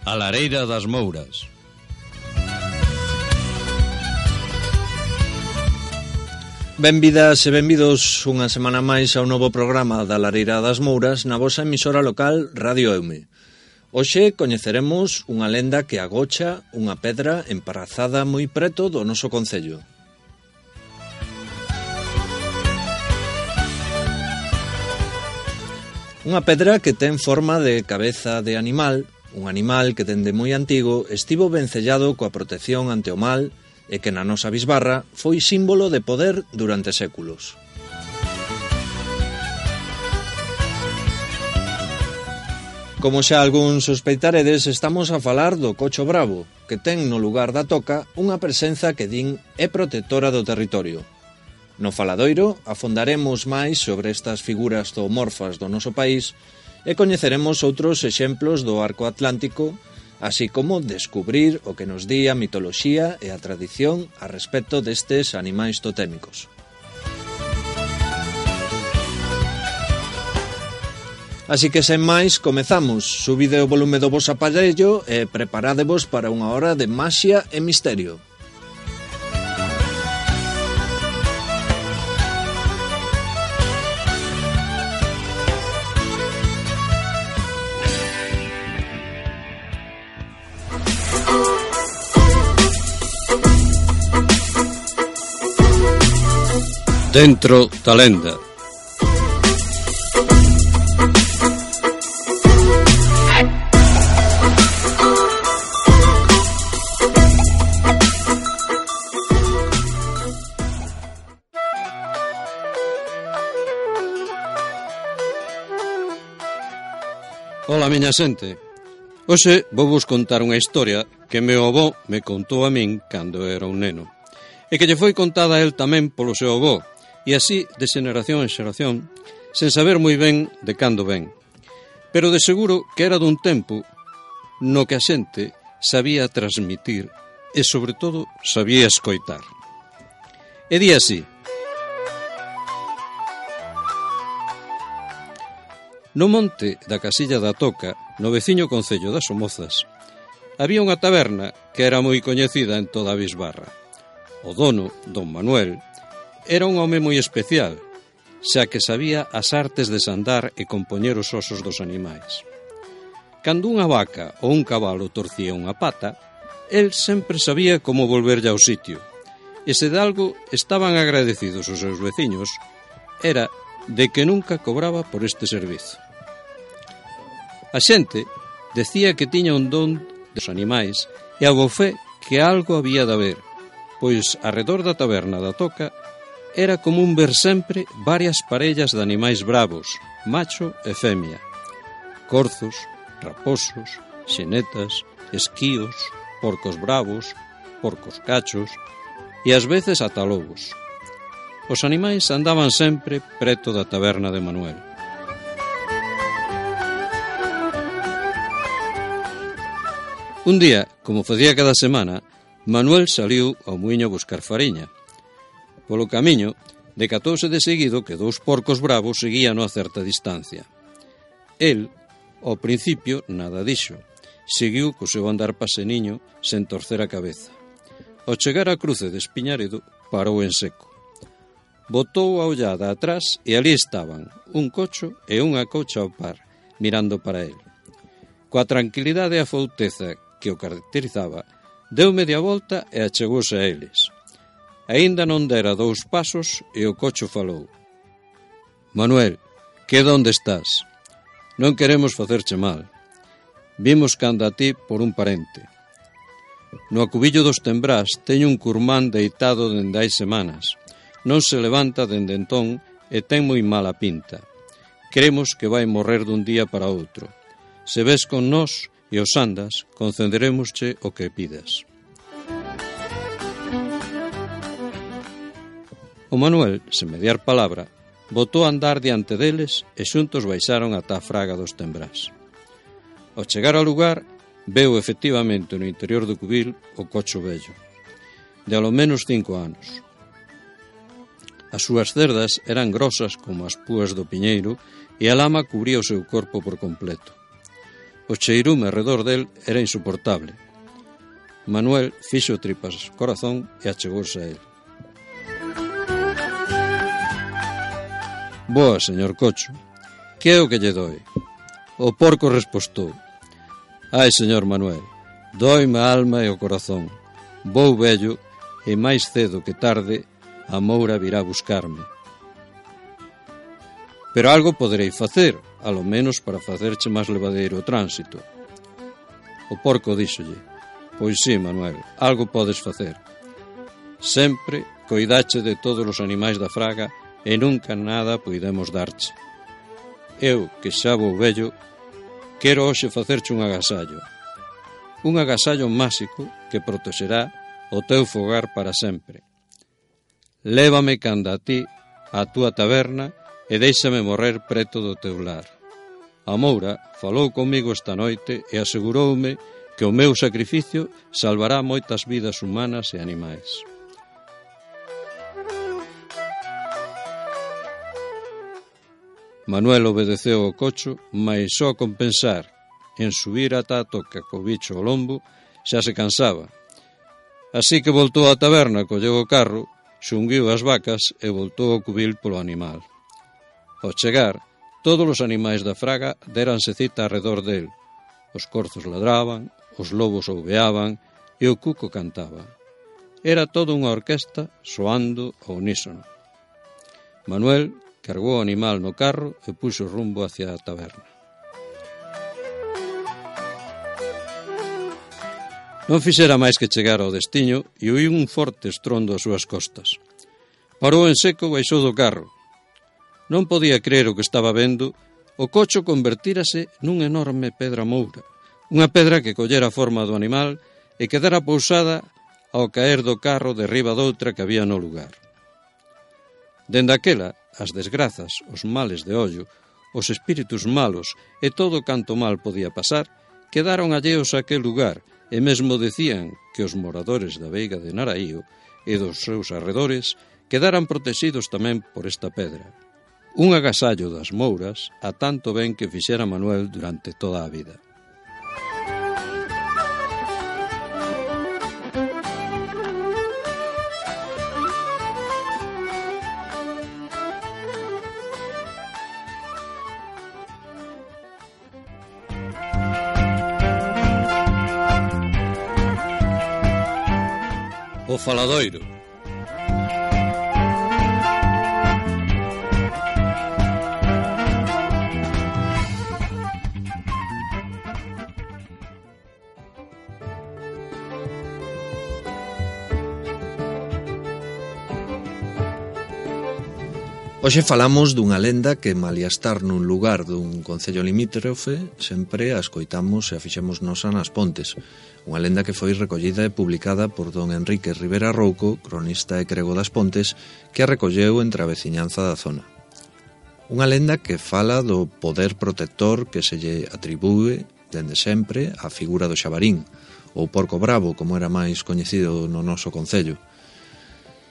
A Lareira das Mouras. Benvidas e benvidos unha semana máis ao novo programa da Lareira das Mouras na vosa emisora local Radio Eume. Hoxe coñeceremos unha lenda que agocha unha pedra emparazada moi preto do noso concello. Unha pedra que ten forma de cabeza de animal, un animal que dende moi antigo estivo vencellado coa protección ante o mal e que na nosa bisbarra foi símbolo de poder durante séculos. Como xa algún sospeitaredes, estamos a falar do cocho bravo, que ten no lugar da toca unha presenza que din é protectora do territorio. No faladoiro afondaremos máis sobre estas figuras zoomorfas do noso país e coñeceremos outros exemplos do arco atlántico, así como descubrir o que nos di a mitoloxía e a tradición a respecto destes animais totémicos. Así que, sen máis, comezamos. Subide o volume do vos aparello e preparádevos para unha hora de maxia e misterio. Dentro da lenda. Ola, miña xente. Hoxe vou vos contar unha historia que meu avó me contou a min cando era un neno e que lle foi contada a el tamén polo seu avó, e así de xeración en xeración, sen saber moi ben de cando ven. Pero de seguro que era dun tempo no que a xente sabía transmitir e, sobre todo, sabía escoitar. E di así: no monte da Casilla da Toca, no veciño concello das Somozas, había unha taberna que era moi coñecida en toda a bisbarra. O dono, don Manuel, era un home moi especial, xa que sabía as artes de sandar e compoñer os osos dos animais. Cando unha vaca ou un cabalo torcía unha pata, el sempre sabía como volverlle ao sitio, e se de algo estaban agradecidos os seus veciños, era de que nunca cobraba por este servizo. A xente decía que tiña un don dos animais e a bofé que algo había de haber, pois arredor da taberna da Toca era común ver sempre varias parellas de animais bravos, macho e femia, corzos, raposos, xenetas, esquíos, porcos bravos, porcos cachos e ás veces ata lobos. Os animais andaban sempre preto da taberna de Manuel. Un día, como facía cada semana, Manuel saliu ao muiño a buscar fariña. Polo camiño, decatouse de seguido que 2 porcos bravos seguíano a certa distancia. El, ao principio, nada dixo. Seguiu co seu andar paseniño sen torcer a cabeza. Ao chegar á cruce de Espiñaredo, parou en seco. Botou a ollada atrás e ali estaban un cocho e unha cocha ao par, mirando para el. Coa tranquilidade e a fouteza que o caracterizaba, deu media volta e achegouse a eles. Aínda non dera 2 pasos e o cocho falou: Manuel, que onde estás? Non queremos facerche mal. Vimos canda a ti por un parente. No acubillo dos Tembrás teño un curmán deitado dende hai semanas. Non se levanta dende entón e ten moi mala pinta. Cremos que vai morrer dun día para outro. Se ves con nós e os andas, concederémosche o que pidas. O Manuel, sen mediar palabra, botou a andar diante deles e xuntos baixaron ata a fraga dos Tembrás. Ao chegar ao lugar, veu efectivamente no interior do cubil o cocho vello, de alo menos 5 anos. As súas cerdas eran grosas como as púas do piñeiro e a lama cubría o seu corpo por completo. O cheirume arredor del era insoportable. Manuel fixo tripas corazón e achegouse a él. Boa, señor Cocho, que é o que lle doi? O porco respostou: ai, señor Manuel, dóime a alma e o corazón. Vou vello e máis cedo que tarde a Moura virá buscarme. Pero algo poderei facer, alo menos para facerche máis levadeiro o tránsito. O porco díxolle: pois sí, Manuel, algo podes facer. Sempre coidache de todos os animais da fraga e nunca nada poidemos darche. Eu, que xa vou vello, quero hoxe facerche un agasallo. Un agasallo máxico que protexerá o teu fogar para sempre. Lévame canda a ti á túa taberna e déixame morrer preto do teu lar. A Moura falou comigo esta noite e aseguroume que o meu sacrificio salvará moitas vidas humanas e animais. Manuel obedeceu ao Cocho, mais só con pensar en subir ata a toca co bicho ao lombo xa se cansaba. Así que voltou á taberna, colleu o carro, xunguiu as vacas e voltou ao cubil polo animal. Ao chegar, todos os animais da fraga déranse cita arredor del. Os corzos ladraban, os lobos ouveaban e o cuco cantaba. Era toda unha orquesta soando ao unísono. Manuel cargou o animal no carro e puxo rumbo hacia a taberna. Non fixera máis que chegar ao destiño e oí un forte estrondo ás súas costas. Parou en seco e baixou do carro. Non podía crer o que estaba vendo. O Cocho convertírase nunha enorme pedra moura, unha pedra que collera a forma do animal e quedara pousada ao caer do carro derriba doutra que había no lugar. Dende aquela, as desgrazas, os males de ollo, os espíritus malos e todo canto mal podía pasar, quedaron alleos a aquel lugar e mesmo decían que os moradores da veiga de Naraío e dos seus arredores quedaran protegidos tamén por esta pedra. Un agasallo das Mouras a tanto ben que fixera Manuel durante toda a vida. O faladoiro. Hoxe falamos dunha lenda que, malia estar nun lugar dun concello limítrofe, sempre a escoitamos e a fixemos nosa nas Pontes. Unha lenda que foi recollida e publicada por don Enrique Rivera Rouco, cronista e crego das Pontes, que a recolleu entre a veciñanza da zona. Unha lenda que fala do poder protector que se lle atribúe, dende sempre, á figura do xabarín, ou porco bravo, como era máis coñecido no noso concello.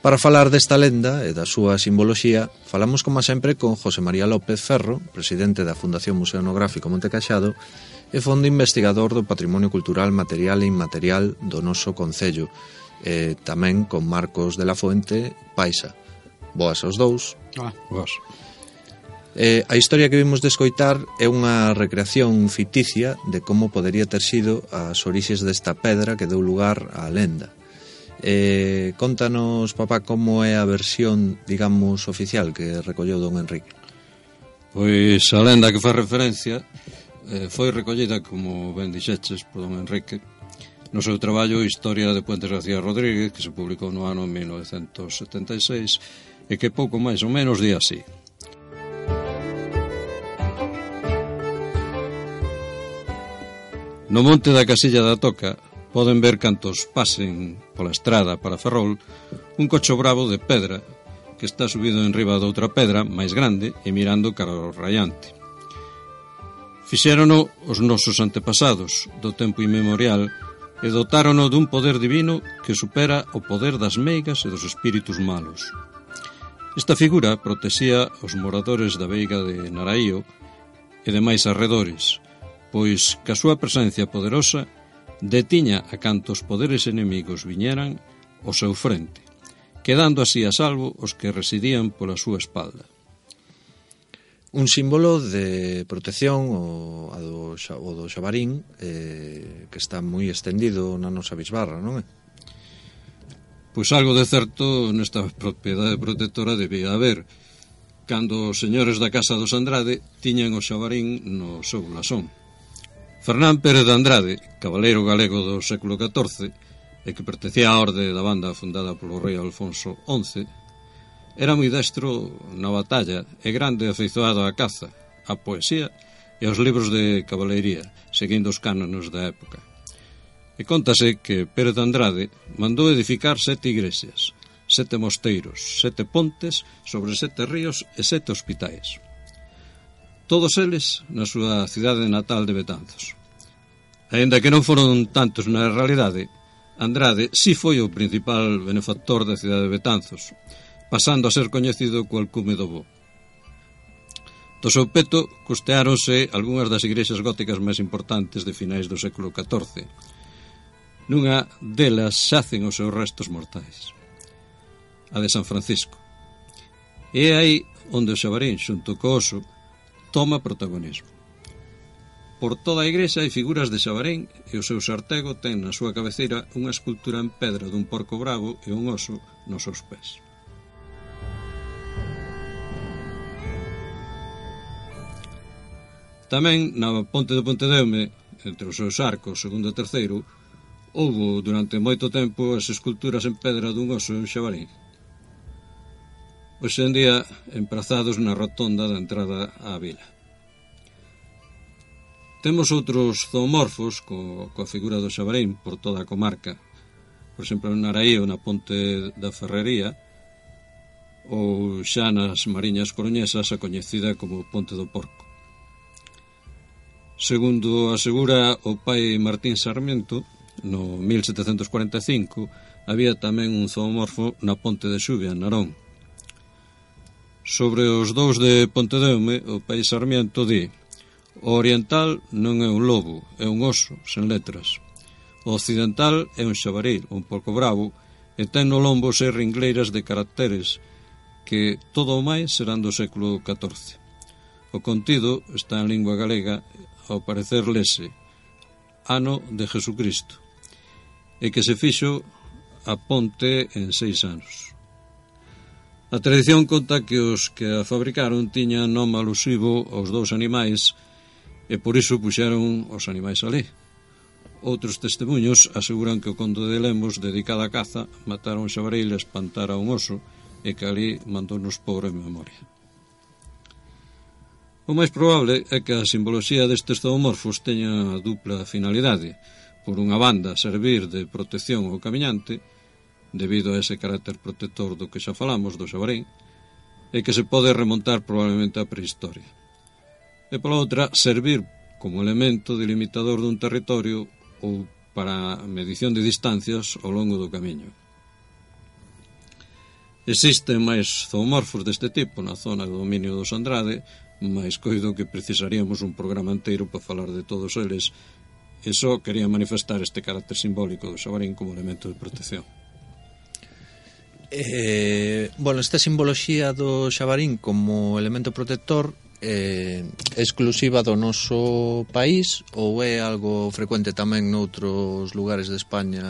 Para falar desta lenda e da súa simboloxía, falamos como sempre con José María López Ferro, presidente da Fundación Museo Etnográfico Monte Caxado e fondo investigador do Patrimonio Cultural Material e Inmaterial do noso concello, e tamén con Marcos de la Fuente Paisa. Boas aos dous. Boas. A historia que vimos de escoitar é unha recreación ficticia de como podería ter sido as orixes desta pedra que deu lugar á lenda. Contanos, papá, como é a versión, digamos, oficial que recolleu don Enrique. Pois a lenda que faz referencia foi recollida, como ben dixeches, por don Enrique no seu traballo Historia de Puentes García Rodríguez, que se publicou no ano 1976 e que pouco máis ou menos di así. No monte da Casilla da Toca poden ver cantos pasen pola estrada para Ferrol un cocho bravo de pedra que está subido en riba de outra pedra máis grande e mirando cara ao raiante. Fixérono os nosos antepasados do tempo inmemorial e dotárono dun poder divino que supera o poder das meigas e dos espíritus malos. Esta figura protexía os moradores da veiga de Naraío e demais arredores, pois que a súa presencia poderosa detiña a cantos poderes enemigos viñeran ao seu frente, quedando así a salvo os que residían pola súa espalda. Un símbolo de protección o do xabarín que está moi estendido na nosa bisbarra, non é? Pois algo de certo nesta propiedade protectora debía haber, cando os señores da Casa dos Andrade tiñan o xabarín no seu blasón. Fernán Pérez de Andrade, cabaleiro galego do século XIV, e que pertencía á orde da banda fundada polo rei Alfonso XI, era moi destro na batalla e grande afeizoado á caza, á poesía e aos libros de cabaleiría, seguindo os cánonos da época. E contase que Pérez de Andrade mandou edificar 7 igrexas, 7 mosteiros, 7 pontes sobre 7 ríos e 7 hospitais. Todos eles na súa cidade natal de Betanzos. Aínda que non foron tantos na realidade, Andrade si foi o principal benefactor da cidade de Betanzos, pasando a ser coñecido co alcume do bo. Do seu peto costeáronse algunhas das igrexas góticas máis importantes de finais do século XIV. Nunha delas xacen os seus restos mortais, a de San Francisco. E é aí onde o xabarín, xunto co oso, toma protagonismo. Por toda a igrexa hai figuras de xabarín e o seu sartego ten na súa cabeceira unha escultura en pedra dun porco bravo e un oso nos seus pés. Tamén na ponte de Pontedeume, entre os seus arcos segundo e terceiro, houbo durante moito tempo as esculturas en pedra dun oso e un xabarín. Hoxe en día emprazados na rotonda da entrada á vila. Temos outros zoomorfos coa figura do xabarín por toda a comarca. Por exemplo, en Naraío, na ponte da Ferrería, ou xa nas Mariñas Coruñesas, a coñecida como Ponte do Porco. Segundo asegura o pai Martín Sarmiento, no 1745 había tamén un zoomorfo na ponte de Xuvia, en Narón. Sobre os dous de Pontedeume, o pai Sarmiento di: o oriental non é un lobo, é un oso, sen letras. O occidental é un xabaril, un porco bravo, e ten no lombo 6 ringleiras de caracteres que todo o máis serán do século XIV. O contido está en lingua galega, ao parecer lese ano de Jesucristo, e que se fixo a ponte en 6 anos. A tradición conta que os que a fabricaron tiñan nome alusivo aos 2 animais e por iso puxeron os animais alí. Outros testemunhos aseguran que o conde de Lemos, dedicado á caza, matara un xabaril e espantara un oso e que ali mandounos pobre memoria. O máis probable é que a simboloxía destes zoomorfos teña a dupla finalidade. Por unha banda, servir de protección ao camiñante, debido a ese carácter protector do que xa falamos, do xabarín, e que se pode remontar probablemente á prehistoria. E pola outra, servir como elemento delimitador dun territorio ou para a medición de distancias ao longo do camiño. Existen máis zoomorfos deste tipo na zona do dominio dos Andrade, mais coido que precisaríamos un programa inteiro para falar de todos eles, e só quería manifestar este carácter simbólico do xabarín como elemento de protección. Esta simboloxía do xabarín como elemento protector é exclusiva do noso país ou é algo frecuente tamén noutros lugares de España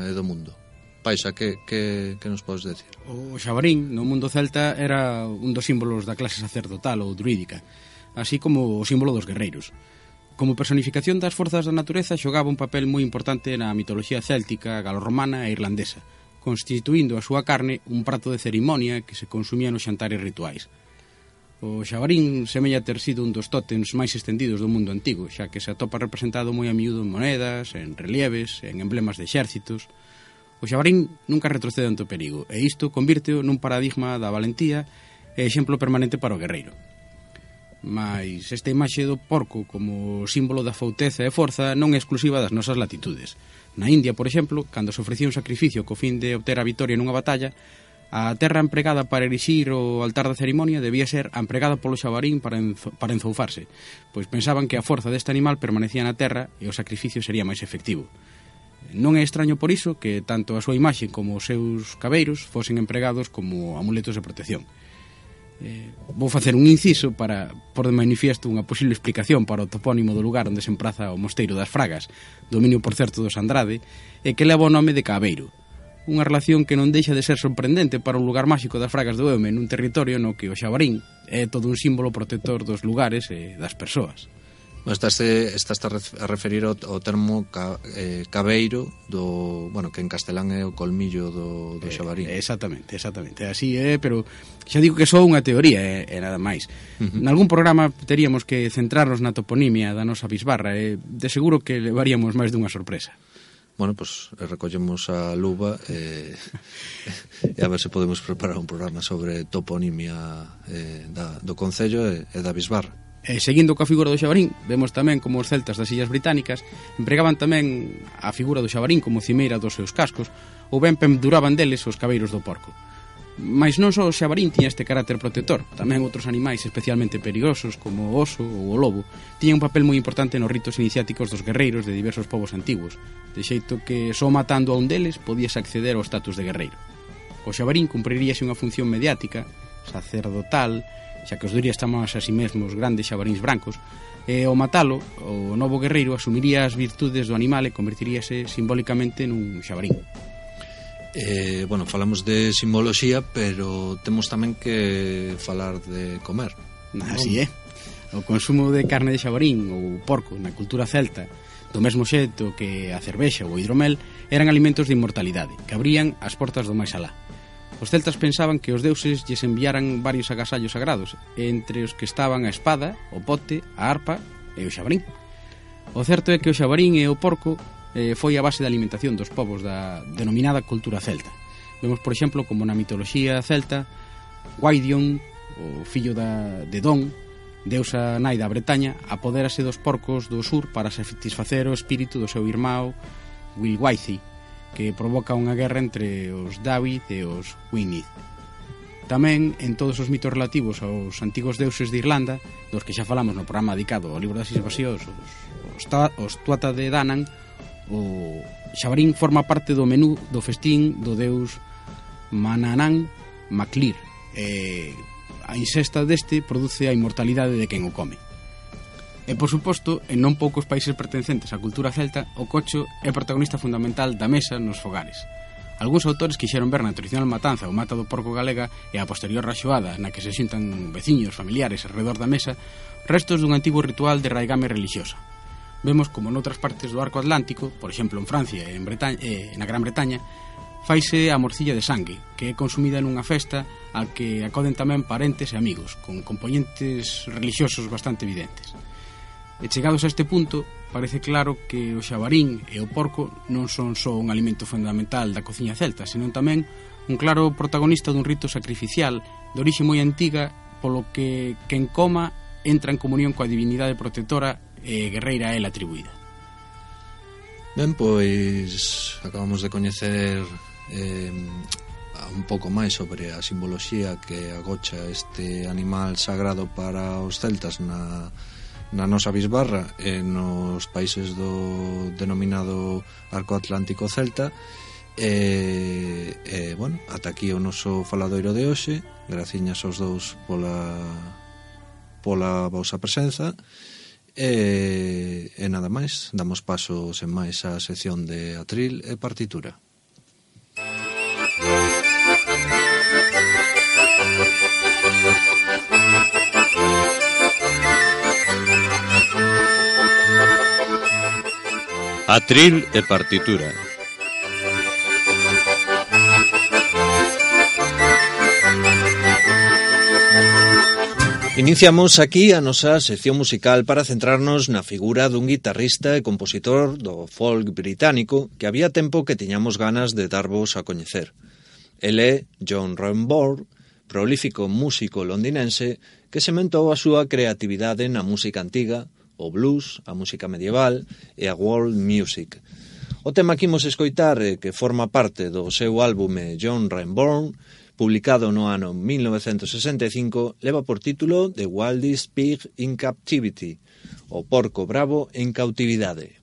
e do mundo? Paixa, que nos podes decir? O xabarín no mundo celta era un dos símbolos da clase sacerdotal ou druídica, así como o símbolo dos guerreiros. Como personificación das forzas da natureza xogaba un papel moi importante na mitoloxía céltica, galorromana e irlandesa, constituindo a súa carne un prato de cerimonia que se consumía nos xantares rituais. O xabarín semella ter sido un dos tótems máis estendidos do mundo antigo, xa que se atopa representado moi a miúdo en monedas, en relieves, en emblemas de exércitos. O xabarín nunca retrocede ante o perigo, e isto convírteo nun paradigma da valentía e exemplo permanente para o guerreiro. Mais esta imaxe do porco como símbolo da fouteza e forza non é exclusiva das nosas latitudes. Na India, por exemplo, cando se ofrecía un sacrificio co fin de obter a vitoria nunha batalla, A terra empregada para erixir o altar da cerimonia debía ser a empregada polo xabarín para enzoufarse, pois pensaban que a forza deste animal permanecía na terra e o sacrificio sería máis efectivo. Non é extraño por iso que tanto a súa imaxe como os seus cabeiros fosen empregados como amuletos de protección. Vou facer un inciso para por de manifiesto unha posible explicación para o topónimo do lugar onde se empraza o Mosteiro das Fragas, dominio por certo dos Andrade, e que leva o nome de Cabeiro. Unha relación que non deixa de ser sorprendente para un lugar máxico das Fragas do Eume nun territorio no que o xabarín é todo un símbolo protector dos lugares e das persoas. Estás a referir ao termo cabeiro do, bueno, que en castelán é o colmillo do xabarín. Exactamente, así é, pero xa digo que só unha teoría e nada máis. Nalgún programa teríamos que centrarnos na toponimia da nosa bisbarra e de seguro que levaríamos máis dunha sorpresa. Bueno, pues recollemos a luva e a ver se podemos preparar un programa sobre toponimia do Concello e da bisbarra. Seguindo coa figura do xabarín, vemos tamén como os celtas das Illas Británicas empregaban tamén a figura do xabarín como cimeira dos seus cascos ou ben penduraban deles os cabeiros do porco. Mais non só o xabarín tiña este carácter protector, tamén outros animais especialmente perigosos como o oso ou o lobo tiñan un papel moi importante nos ritos iniciáticos dos guerreiros de diversos povos antigos, de xeito que só matando a un deles podías acceder ao status de guerreiro. O xabarín cumpriríase unha función mediática, sacerdotal, xa que os durías chamaban a si mesmos grandes xabaríns brancos, e ao matalo, o novo guerreiro asumiría as virtudes do animal e convertiríase simbólicamente nun xabarín. Bueno, falamos de simboloxía, pero temos tamén que falar de comer. Así é. O consumo de carne de xabarín ou porco na cultura celta, do mesmo xeito que a cervexa ou o hidromel, eran alimentos de inmortalidade, que abrían as portas do máis alá. Os celtas pensaban que os deuses lles enviaran varios agasallos sagrados, entre os que estaban a espada, o pote, a arpa e o xabarín. O certo é que o xabarín e o porco foi a base da alimentación dos povos da denominada cultura celta. Vemos, por exemplo, como na mitoloxía celta, Gwaidion, o fillo de Don, deusa nai da Bretaña, apodérase dos porcos do sur para satisfacer o espírito do seu irmão Wilgwaithí, que provoca unha guerra entre os David e os Gwynedd. Tamén en todos os mitos relativos aos antigos deuses de Irlanda, dos que xa falamos no programa dedicado ao libro das invasións, os Tuatha de Danann, o xabarín forma parte do menú do festín do deus Manannán Maclir, e a ingesta deste produce a inmortalidade de quen o come. E, por suposto, en non poucos países pertencentes á cultura celta, o cocho é protagonista fundamental da mesa nos fogares. Algúns autores quixeron ver na tradicional matanza ou mata do porco galega e a posterior raxoada na que se xuntan veciños, familiares alrededor da mesa, restos dun antigo ritual de raigame religiosa. Vemos como noutras partes do arco atlántico, por exemplo en Francia e na Gran Bretaña, faise a morcilla de sangue, que é consumida nunha festa a que acoden tamén parentes e amigos, con componentes religiosos bastante evidentes. E chegados a este punto, parece claro que o xabarín e o porco non son só un alimento fundamental da cociña celta, senón tamén un claro protagonista dun rito sacrificial de orixe moi antiga, polo que quen coma entra en comunión coa divinidade protectora e guerreira a ela atribuída. Ben, pois acabamos de coñecer un pouco máis sobre a simboloxía que agocha este animal sagrado para os celtas na nosa bisbarra e nos países do denominado Arco Atlántico Celta. Bueno, ata aquí o noso faladoiro de hoxe. Graciñas aos dous pola vosa presenza e nada máis, damos paso sen máis á sección de atril e partitura. Atril e partitura. Iniciamos aquí a nosa sección musical para centrarnos na figura dun guitarrista e compositor do folk británico que había tempo que tiñamos ganas de darvos a coñecer. El é John Renbourn, prolífico músico londinense que sementou a súa creatividade na música antiga, o blues, a música medieval e a world music. O tema que imos escoitar, que forma parte do seu álbume John Renbourn, publicado no ano 1965, leva por título The Wildest Pig in Captivity, o porco bravo en cautividade.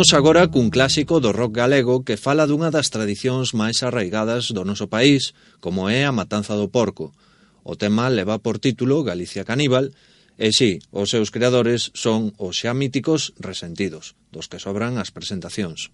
Imos agora cun clásico do rock galego que fala dunha das tradicións máis arraigadas do noso país, como é a matanza do porco. O tema leva por título Galicia Caníbal, e si, os seus creadores son os xa míticos Resentidos, dos que sobran as presentacións.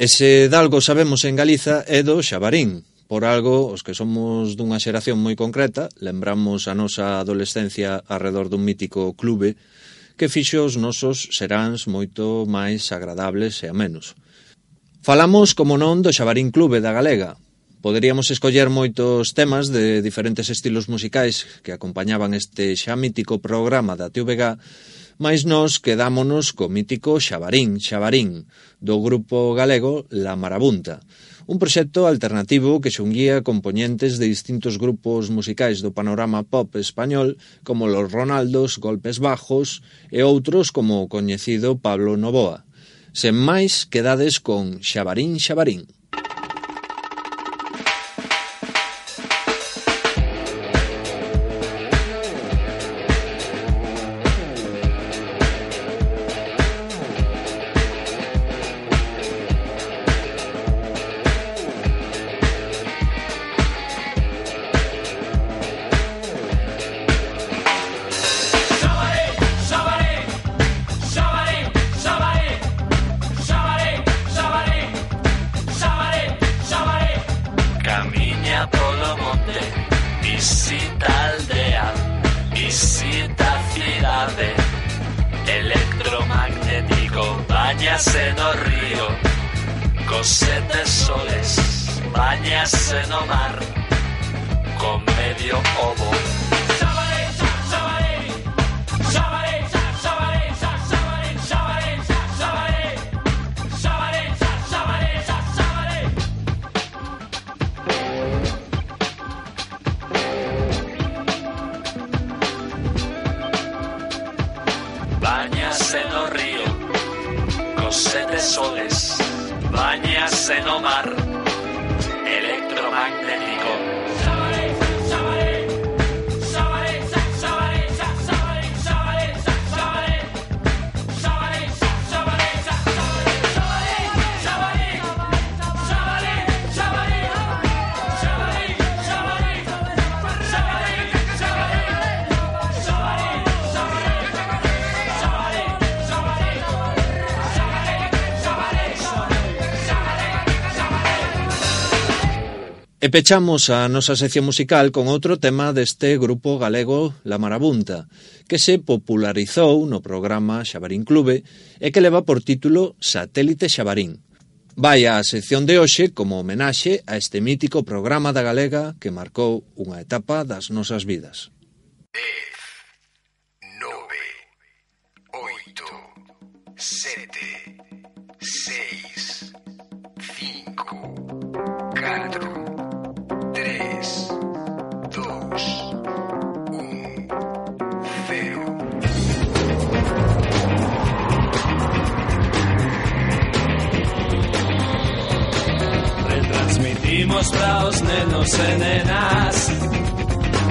E se dalgo sabemos en Galiza é do Xabarín. Por algo, os que somos dunha xeración moi concreta, lembramos a nosa adolescencia arredor dun mítico clube que fixo os nosos seráns moito máis agradables e amenos. Falamos, como non, do Xabarín Clube da Galega. Poderíamos escoller moitos temas de diferentes estilos musicais que acompañaban este xa mítico programa da TVG, mais nós quedámonos co mítico Xabarín, do grupo galego La Marabunta, un proxecto alternativo que xunguía compoñentes de distintos grupos musicais do panorama pop español como Los Ronaldos, Golpes Bajos e outros como o coñecido Pablo Novoa. Sen máis, quedades con Xabarín. Báñase no río, cos 7 soles, báñase no mar, con medio ovo. Báñase no río, cos 7 soles, báñase no mar, electromagnético. E pechamos a nosa sección musical con outro tema deste grupo galego La Marabunta, que se popularizou no programa Xabarín Clube e que leva por título Satélite Xabarín. Vai a sección de hoxe como homenaxe a este mítico programa da Galega que marcou unha etapa das nosas vidas. 10, 9, 8, 7, 6, 5, 4... 3, 2, 1, 0. Retransmitimos para os nenos e nenas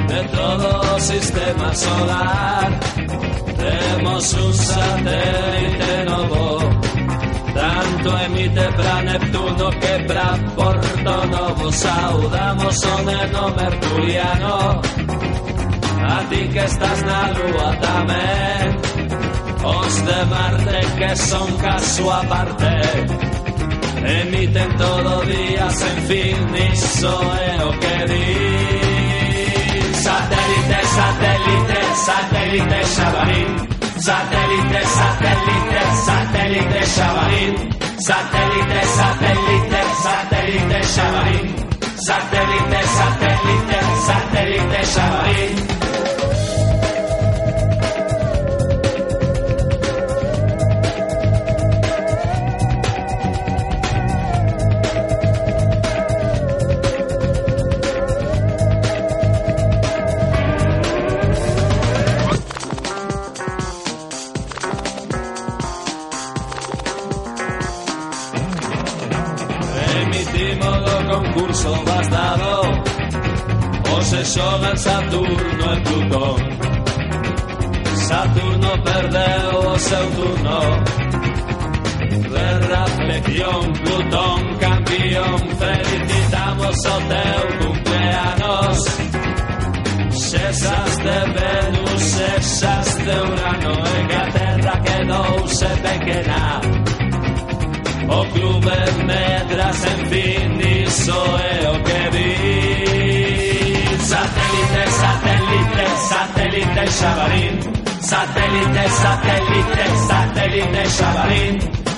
de todo o sistema solar. Temos un satélite novo, tanto emite pra Neptuno que pra Porto Novo. Saudamos o neno mercuriano, a ti que estás na lúa tamén, os de Marte que son caso aparte, emiten todo día sen fin, iso é o que di. Satélite, satélite, satélite Xabarín. Satélite, satélite, satélite Xabarín. Satélite, satélite, satélite Xabarín. Satélite, satélite, satélite Xabarín. Concurso bastado, o se xogan Saturno e Plutón. Saturno perdeu o seu turno de reflexión, Plutón campeón. Felicitamos o teu cumpleanos, xesas de Venus, xesas de Urano, e que a Terra quedouse pequena. O clube medras, en fin, iso é o que vi. Satélite, satélite, satélite Xabarín. Satélite, satélite, satélite Xabarín.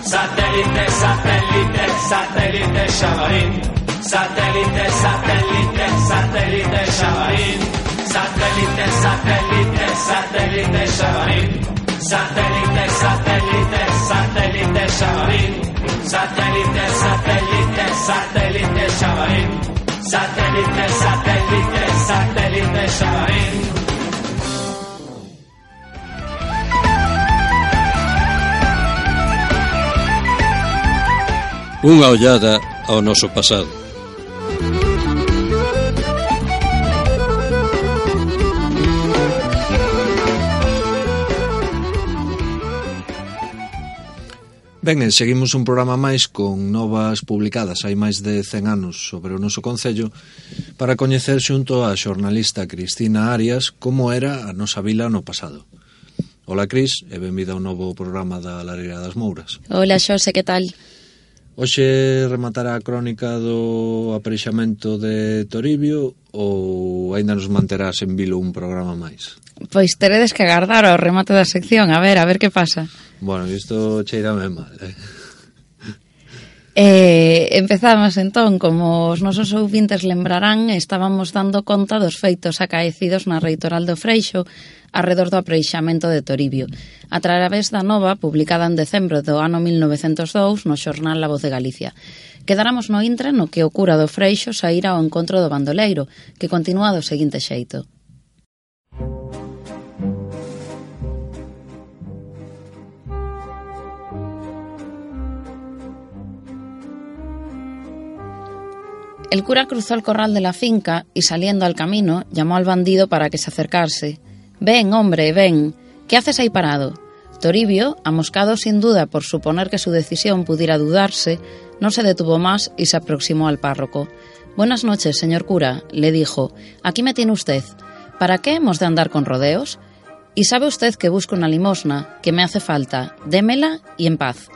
Satélite, satélite, satélite Xabarín. Satélite, satélite, satélite Xabarín. Satélite, satélite, satélite Xabarín. Satélite, satélite, satélite Xabarín. Satélite, satélite, satélite Xabarín. Satélite, satélite, satélite Xabarín. Unha ollada ao noso pasado. Ben, seguimos un programa máis con novas publicadas hai máis de 100 anos sobre o noso concello para coñecer xunto a xornalista Cristina Arias como era a nosa vila no pasado. Ola, Cris, e benvida ao novo programa da Lareira das Mouras. Ola, Xose, que tal? Hoxe rematará a crónica do apareixamento de Toribio ou aínda nos manterás en vilo un programa máis? Pois teredes que agardar ao remate da sección, a ver que pasa. Bueno, isto cheirame mal, Empezamos entón, como os nosos ouvintes lembrarán, estábamos dando conta dos feitos acaecidos na Reitoral do Freixo arredor do apreixamento de Toribio, a través da nova publicada en decembro do ano 1902 no xornal La Voz de Galicia. Quedáramos no intre no que o cura do Freixo saíra ao encontro do bandoleiro, que continúa do seguinte xeito. El cura cruzó el corral de la finca y saliendo al camino llamó al bandido para que se acercase. «Ven, hombre, ven. ¿Qué haces ahí parado?» Toribio, amoscado sin duda por suponer que su decisión pudiera dudarse, no se detuvo más y se aproximó al párroco. «Buenas noches, señor cura», le dijo. «Aquí me tiene usted. ¿Para qué hemos de andar con rodeos? Y sabe usted que busco una limosna, que me hace falta. Démela y en paz».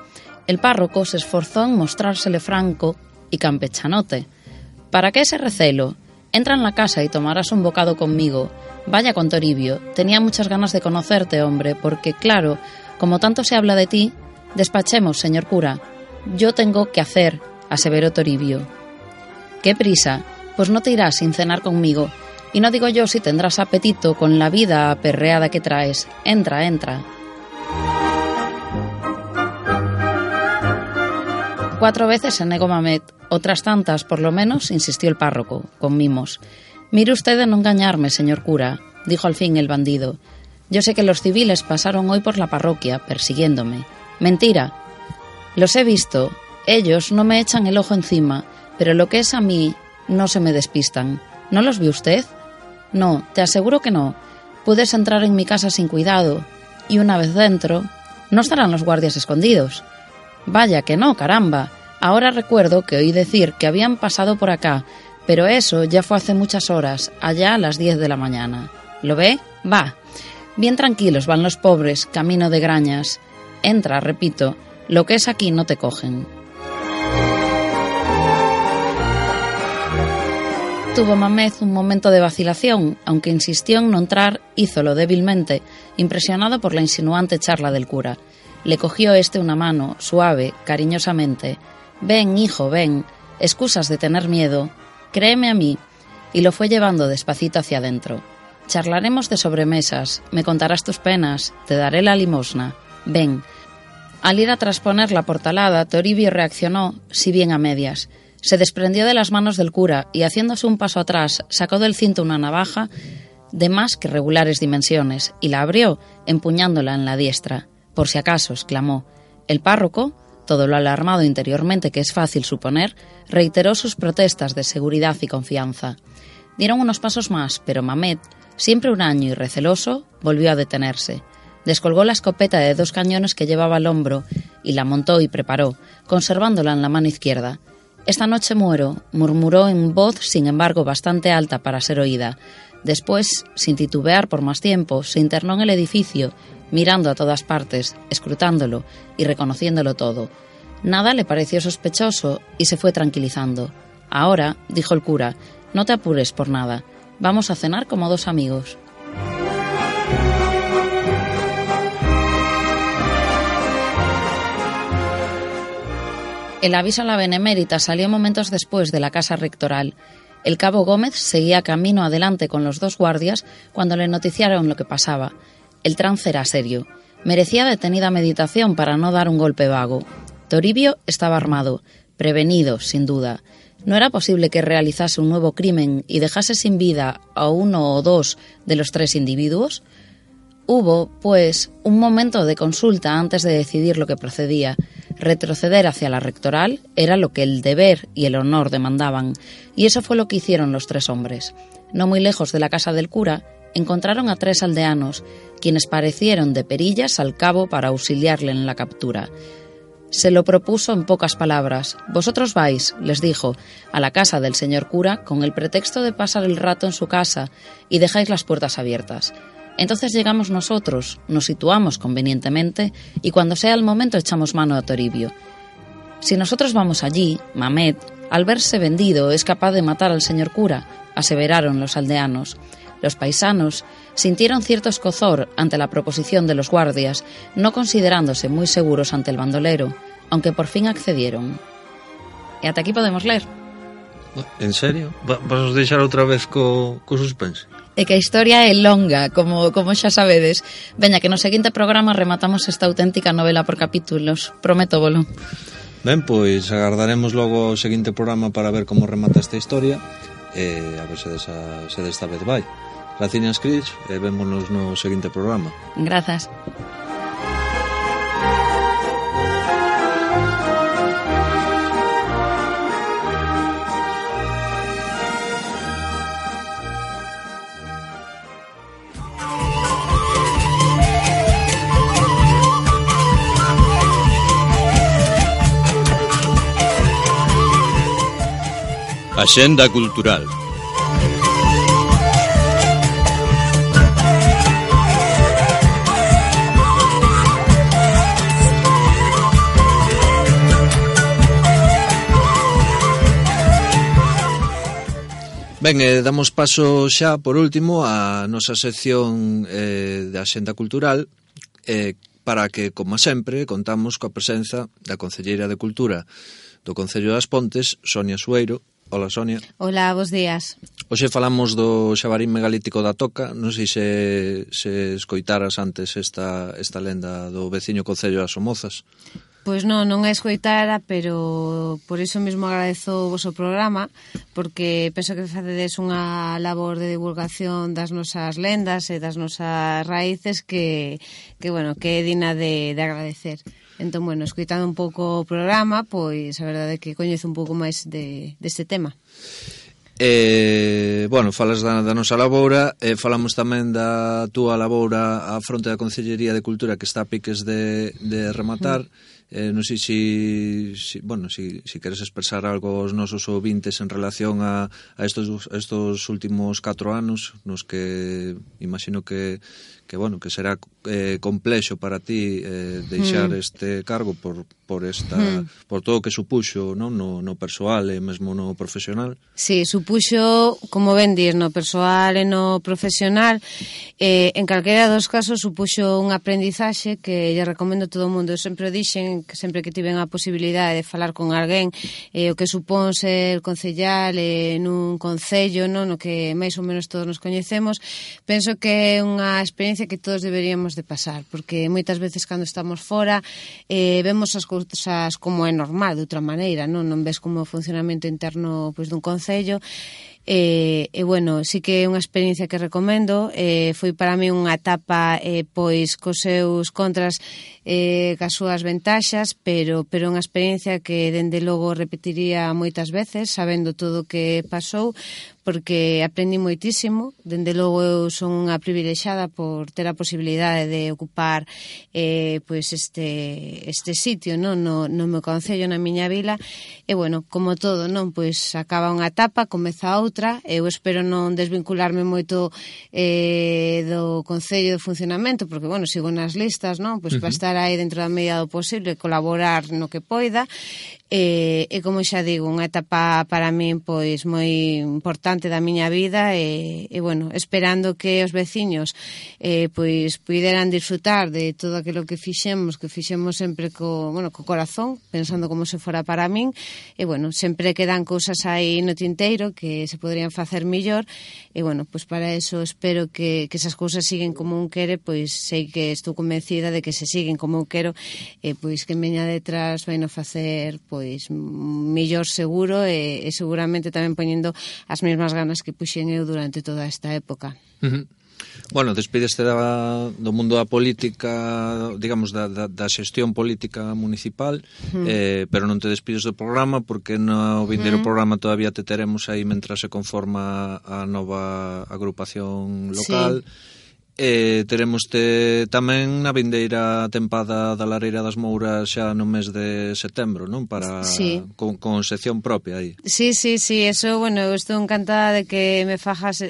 El párroco se esforzó en mostrársele franco y campechanote. ¿Para qué ese recelo? Entra en la casa y tomarás un bocado conmigo. Vaya con Toribio. Tenía muchas ganas de conocerte, hombre, porque, claro, como tanto se habla de ti, despachemos, señor cura. Yo tengo que hacer, aseveró Toribio. ¿Qué prisa? Pues no te irás sin cenar conmigo. Y no digo yo si tendrás apetito con la vida aperreada que traes. Entra, entra. 4 veces se negó Mamet. Otras tantas, por lo menos, insistió el párroco, con mimos. «Mire usted de no engañarme, señor cura», dijo al fin el bandido. «Yo sé que los civiles pasaron hoy por la parroquia, persiguiéndome». «Mentira». «Los he visto. Ellos no me echan el ojo encima, pero lo que es a mí, no se me despistan. ¿No los vio usted?» «No, te aseguro que no. Puedes entrar en mi casa sin cuidado, y una vez dentro, no estarán los guardias escondidos». «Vaya que no, caramba. Ahora recuerdo que oí decir que habían pasado por acá, pero eso ya fue hace muchas horas, allá a las 10 de la mañana. ¿Lo ve? Va. Bien tranquilos van los pobres, camino de Grañas. Entra, repito, lo que es aquí no te cogen». Tuvo Mamez un momento de vacilación, aunque insistió en no entrar, hízolo débilmente, impresionado por la insinuante charla del cura. Le cogió una mano, suave, cariñosamente. «Ven, hijo, ven. Excusas de tener miedo. Créeme a mí». Y lo fue llevando despacito hacia adentro. «Charlaremos de sobremesas. Me contarás tus penas. Te daré la limosna. Ven». Al ir a trasponer la portalada, Toribio reaccionó, si bien a medias. Se desprendió de las manos del cura y, haciéndose un paso atrás, sacó del cinto una navaja de más que regulares dimensiones y la abrió, empuñándola en la diestra. «Por si acaso», exclamó. El párroco, todo lo alarmado interiormente que es fácil suponer, reiteró sus protestas de seguridad y confianza. Dieron unos pasos más, pero Mamet, siempre huraño y receloso, volvió a detenerse. Descolgó la escopeta de 2 cañones que llevaba al hombro y la montó y preparó, conservándola en la mano izquierda. «Esta noche muero», murmuró en voz, sin embargo, bastante alta para ser oída. Después, sin titubear por más tiempo, se internó en el edificio, mirando a todas partes, escrutándolo y reconociéndolo todo. Nada le pareció sospechoso y se fue tranquilizando. Ahora, dijo el cura, no te apures por nada. Vamos a cenar como dos amigos. El aviso a la benemérita salió momentos después de la casa rectoral. El cabo Gómez seguía camino adelante con los dos guardias cuando le noticiaron lo que pasaba. El trance era serio. Merecía detenida meditación para no dar un golpe vago. Toribio estaba armado, prevenido, sin duda. No era posible que realizase un nuevo crimen y dejase sin vida a uno o dos de los tres individuos. Hubo, pues, un momento de consulta antes de decidir lo que procedía. Retroceder hacia la rectoral era lo que el deber y el honor demandaban, y eso fue lo que hicieron los tres hombres. No muy lejos de la casa del cura, encontraron a tres aldeanos, quienes parecieron de perillas al cabo para auxiliarle en la captura. Se lo propuso en pocas palabras. Vosotros vais, les dijo, a la casa del señor cura con el pretexto de pasar el rato en su casa y dejáis las puertas abiertas. Entonces llegamos nosotros, nos situamos convenientemente y cuando sea el momento echamos mano a Toribio. Si nosotros vamos allí, Mamet, al verse vendido, es capaz de matar al señor cura, aseveraron los aldeanos. Los paisanos sintieron cierto escozor ante la proposición de los guardias, no considerándose muy seguros ante el bandolero, aunque por fin accedieron. E ata aquí podemos ler. En serio? Vas deixar outra vez co suspense? É que a historia é longa, como xa sabedes. Veña, que no seguinte programa rematamos esta auténtica novela por capítulos. Prométovolo. Ben, pois agardaremos logo o seguinte programa para ver como remata esta historia e a ver se desta vez vai. Graciñas, Cris, e vémonos no seguinte programa. Grazas. Axenda cultural. Ben, damos paso xa, por último, á nosa sección de Axenda Cultural, para que, como sempre, contamos coa presenza da Concelleira de Cultura do Concello das Pontes, Sonia Sueiro. Hola, Sonia. Hola, bos días. Hoxe falamos do xabarín megalítico da Toca. Non sei se escoitaras antes esta lenda do veciño Concello das Somozas. Pois non a escoitara, pero por iso mesmo agradezo o voso programa, porque penso que facedes unha labor de divulgación das nosas lendas e das nosas raíces que é digna de agradecer. Entón, escoitando un pouco o programa, pois a verdade é que coñezo un pouco máis deste tema. Falas da nosa laboura, falamos tamén da túa laboura á fronte da Concellería de Cultura, que está a piques de rematar. Non sei se queres expresar algo aos nosos ouvintes en relación a estos últimos 4 anos, nos que imagino que será complexo para ti deixar este cargo por todo o que supuxo, non, no persoal e mesmo no profesional. Sí, supuxo, como ben dir, no persoal e no profesional. En calquera dos casos supuxo un aprendizaxe que lle recomendo a todo o mundo. Eu sempre o dixen, que sempre que tiven a posibilidade de falar con alguén o que supón ser concellal nun concello, non, no que máis ou menos todos nos coñecemos, penso que é unha experiencia que todos deberíamos de pasar, porque moitas veces cando estamos fora vemos as cousas como é normal, de outra maneira, non ves como o funcionamento interno dun concello. Sí que é unha experiencia que recomendo. Foi para mí unha etapa pois cos seus contras, cas súas ventaxas, pero unha experiencia que dende logo repetiría moitas veces, sabendo todo o que pasou, porque aprendi moitísimo. Dende logo eu son unha privilexada por ter a posibilidade de ocupar este sitio, non, no meu concello, na miña vila. E como todo, non, pois acaba unha etapa, comeza outra. outra. Eu espero non desvincularme moito do Concello de funcionamento, porque, bueno, sigo nas listas, non? Pois para estar aí dentro da medida do posible, colaborar no que poida. E como xa digo, unha etapa para min pois moi importante da miña vida e bueno, esperando que os veciños pois puideran disfrutar de todo aquilo que fixemos sempre co corazón, pensando como se fora para min, e bueno, sempre quedan cousas aí no tinteiro que se poderían facer millor, e bueno, pois para eso espero que esas cousas siguen como un quere, pois sei que estou convencida de que se siguen como eu quero, e pois que meña detrás vai no facer pois millor seguro e seguramente tamén poñendo as mesmas ganas que puxen eu durante toda esta época. Bueno, despídeste do mundo da política, digamos, da xestión política municipal, pero non te despides do programa porque no vindeiro programa todavía te teremos aí mentras se conforma a nova agrupación local. Teremos tamén na vindeira tempada da Lareira das Mouras xa no mes de setembro, non? Para con sección propia aí. Sí, eso, bueno, eu estou encantada de que me fagas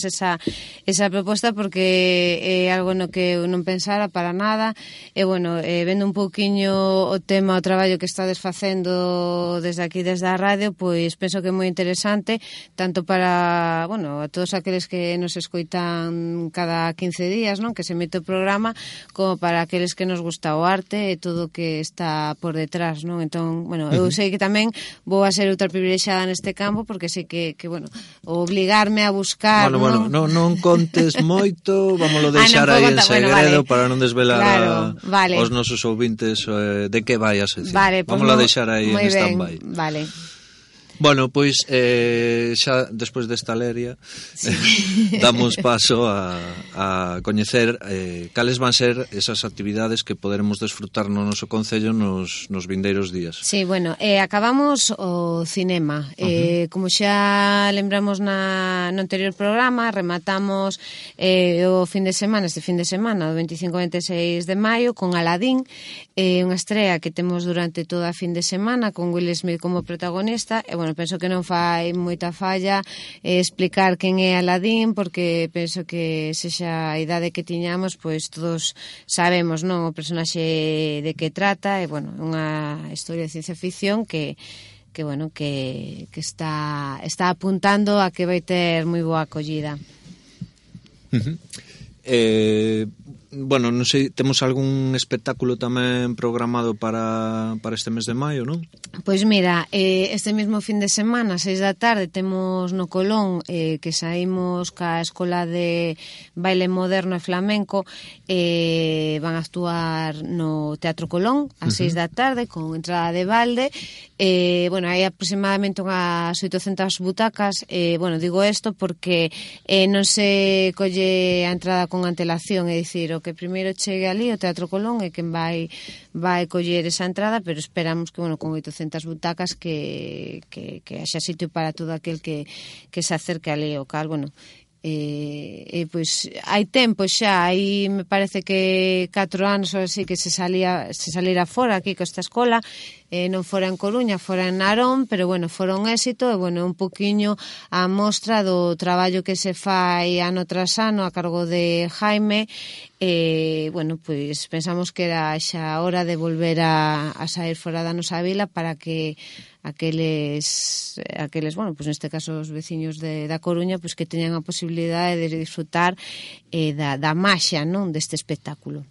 esa proposta porque é algo no que eu non pensara para nada, e bueno, vendo un pouquiño o tema, o traballo que estades facendo desde aquí, desde a radio, pois penso que é moi interesante, tanto para, bueno, a todos aqueles que nos escoitan cada 15 días, non? Que se emite o programa, como para aqueles que nos gusta o arte e todo o que está por detrás, non? Entón, bueno, eu sei que tamén vou a ser outra privilexiada neste campo, porque sei que bueno, obligarme a buscar, Bueno, non contes moito, vámoslo deixar aí en segredo, para non desvelar aos nosos ouvintes de que vai a sección. Vámoslo deixar aí en stand-by. Vale. Bueno, pois xa despois desta leria damos paso a coñecer cales van ser esas actividades que poderemos desfrutar no noso concello nos vindeiros días. Sí, bueno, acabamos o cinema. Como xa lembramos no anterior programa, rematamos o este fin de semana, o 25-26 de maio, con Aladín, unha estrela que temos durante toda a fin de semana, con Will Smith como protagonista, e bueno, penso que non fai moita falla explicar quen é Aladín, porque penso que sexa a idade que tiñamos, pois todos sabemos, non, o personaxe de que trata, e bueno, unha historia de ciencia ficción que bueno, que está apuntando a que vai ter moi boa acollida. Bueno, non sei, temos algún espectáculo tamén programado para este mes de maio, non? Pois mira, este mesmo fin de semana, 6 da tarde, temos no Colón que saímos ca Escola de Baile Moderno e Flamenco, van a actuar no Teatro Colón a 6 da tarde con entrada de balde. Bueno, hai aproximadamente unhas 800 butacas. Bueno, digo isto porque non se colle a entrada con antelación, é dicir, o que primeiro chegue ali o Teatro Colón é quen vai coller esa entrada, pero esperamos que, bueno, con 800 butacas que haxa sitio para todo aquel que se acerque ali ao cal, bueno, pois hai tempo xa, aí me parece que 4 anos ou así que se salira fora aquí con esta escola, non fora en Coruña, fora en Narón, pero bueno, fora un éxito, e bueno, un poquiño a mostra do traballo que se fai ano tras ano a cargo de Jaime, bueno, pois pensamos que era xa hora de volver a sair fora da nosa vila para que aqueles, bueno, pois neste caso os veciños da Coruña, pois que teñan a posibilidade de disfrutar da maxia, non, deste espectáculo.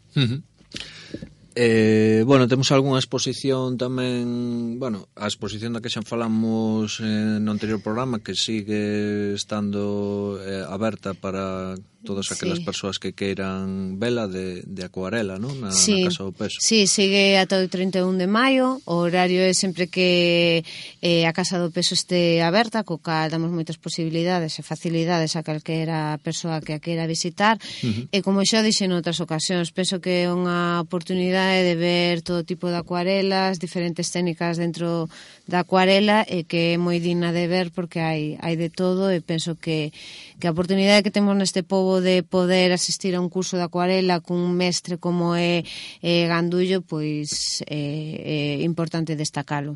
Bueno, temos algunha exposición tamén, bueno, a exposición da que xa falamos no anterior programa, que sigue estando aberta para todas aquelas persoas que queiran vela de acuarela, non? Na Casa do Peso. Sí, sigue ata o 31 de maio. O horario é sempre que a Casa do Peso este aberta, co cal damos moitas posibilidades e facilidades a calquera persoa que a queira visitar. E como xa dixen en outras ocasións, penso que é unha oportunidade de ver todo tipo de acuarelas, diferentes técnicas dentro da acuarela, e que é moi digna de ver porque hai de todo, e penso que a oportunidade que temos neste pobo de poder asistir a un curso de acuarela cun mestre como é Gandullo, pois é importante destacalo.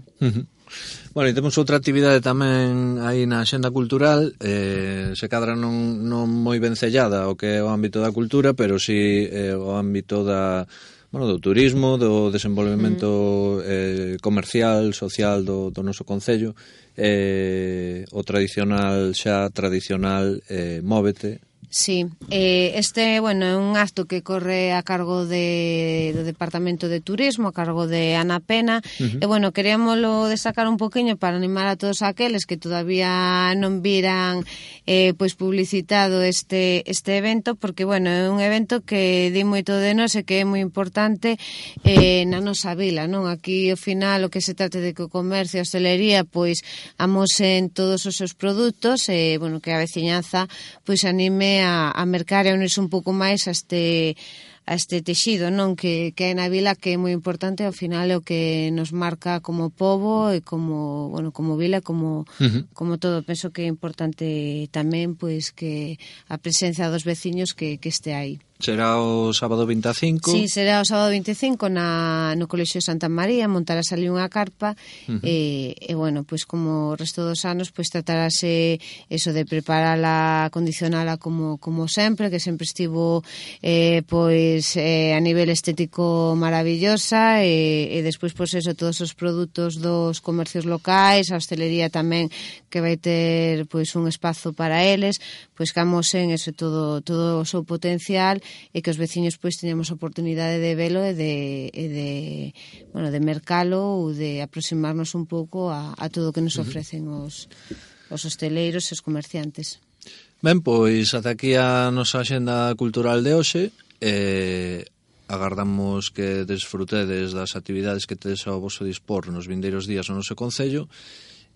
Bueno, e temos outra actividade tamén aí na Axenda Cultural, se cadra non moi vencellada ao que é o ámbito da cultura, pero si o ámbito do turismo, do desenvolvemento comercial, social do noso concello, o tradicional Móvete. Sí, este, bueno, é un acto que corre a cargo do Departamento de Turismo, a cargo de Ana Pena, e, bueno, queríamoslo destacar un poquinho para animar a todos aqueles que todavía non viran pois publicitado este evento, porque, bueno, é un evento que di moito de nós e que é moi importante na nosa vila, non? Aquí, ao final, o que se trate de que o comercio e a hostelería, pois, amosen todos os seus produtos e, bueno, que a veciñanza, pois, anime a mercar e a unirse un pouco máis a este texido, non, que é na vila, que é moi importante, ao final é o que nos marca como pobo e como vila, como todo. Penso que é importante tamén pois que a presencia dos veciños que este aí. Será o sábado 25? Sí, será o sábado 25 no Colexio de Santa María, montarás ali unha carpa e bueno, pois como o resto dos anos, pois tratarase eso de preparala, acondicionala como sempre, que sempre estivo pois a nivel estético maravillosa e despois pois eso, todos os produtos dos comercios locais, a hostelería tamén que vai ter pois un espazo para eles, pois que amosen eso todo o seu potencial e que os veciños pois teñamos a oportunidade de velo e de mercalo ou de aproximarnos un pouco a todo o que nos ofrecen os hosteleiros e os comerciantes. Ben, pois ata aquí a nosa axenda cultural de hoxe. Agardamos que desfrutedes das actividades que tedes ao voso dispor nos vindeiros días no noso concello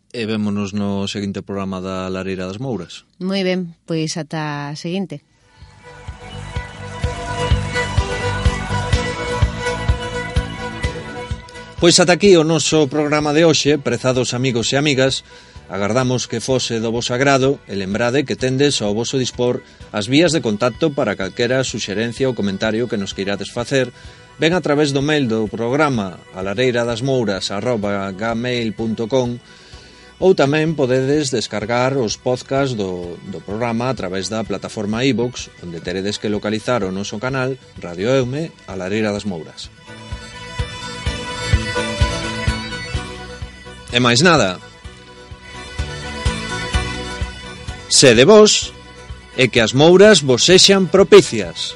e vémonos no seguinte programa da Lareira das Mouras. Moi ben, pois ata a seguinte. Pois ata aquí o noso programa de hoxe, prezados amigos e amigas. Agardamos que fose do voso agrado e lembrade que tendes ao voso dispor as vías de contacto para calquera suxerencia ou comentario que nos queirades facer, ben a través do mail do programa alareiradasmouras@gmail.com, ou tamén podedes descargar os podcast do programa a través da plataforma iVox, onde teredes que localizar o noso canal Radio Eume, a Lareira das Mouras. E máis nada. Sede vos e que as mouras vos sexan propicias.